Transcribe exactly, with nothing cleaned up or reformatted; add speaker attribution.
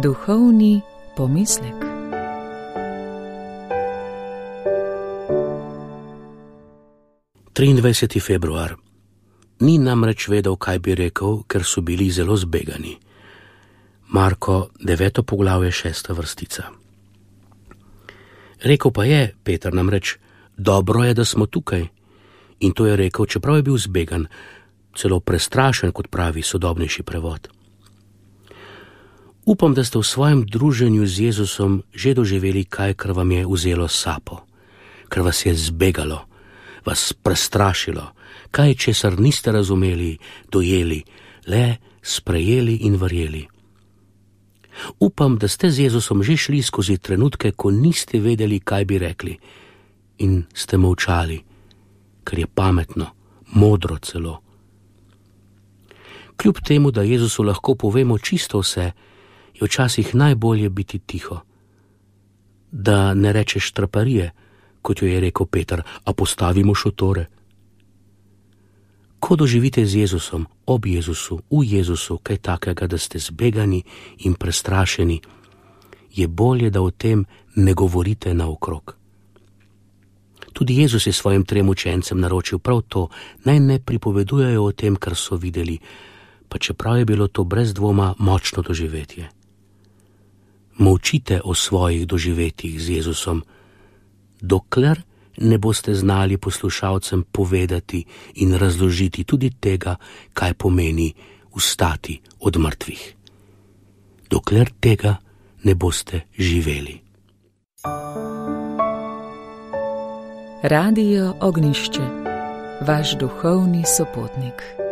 Speaker 1: Duhovni pomislek.
Speaker 2: triindvajseti februar. Ni namreč vedel, kaj bi rekel, ker so bili zelo zbegani. Marko, deveto poglavje, šesta vrstica. Rekel pa je, Peter namreč, dobro je, da smo tukaj. In to je rekel, čeprav je bil zbegan, celo prestrašen, kot pravi sodobnejši prevod. Upam, da ste v svojem druženju z Jezusom že doživeli kaj, kar vam je vzelo sapo, kar vas je zbegalo, vas prestrašilo, kaj, česar niste razumeli, dojeli, le sprejeli in verjeli. Upam, da ste z Jezusom že šli skozi trenutke, ko niste vedeli, kaj bi rekli, in ste molčali, ker je pametno, modro celo. Kljub temu, da Jezusu lahko povemo čisto vse, je včasih najbolje biti tiho. Da ne rečeš traparije, kot jo je rekel Peter, a postavimo šotore. Ko doživite z Jezusom, ob Jezusu, v Jezusu, kaj takega, da ste zbegani in prestrašeni, je bolje, da o tem ne govorite naokrog. Tudi Jezus je svojim trem učencem naročil prav to, naj ne pripovedujejo o tem, kar so videli, pa čeprav je bilo to brez dvoma močno doživetje. Molčite o svojih doživetjih z Jezusom, dokler ne boste znali poslušalcem povedati in razložiti tudi tega, kaj pomeni vstati od mrtvih. Dokler tega ne boste živeli.
Speaker 1: Radio Ognjišče, vaš duhovni sopotnik.